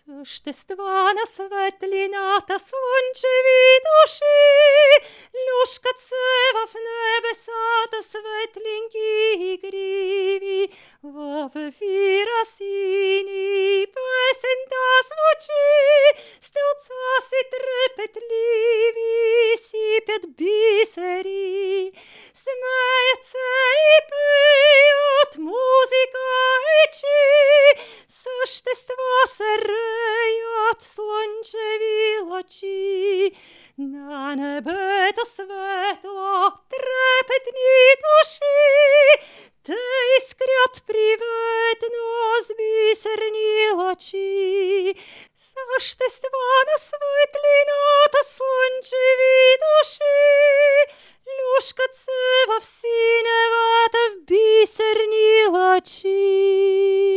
Същества на светлината слънчеви души, люшкат се в небесата светленки и гриви. В ефира сини песента звучи, стълца си трепетливи сипят бисери. Смеят се и пеят музика и чи, същества се реят в слънчеви лъчи. На небето светло трепетни души, те искрят приветно с бисерни лъчи. Същества на светлината слънчеви души, люшкат се в синевата в бисерни лъчи.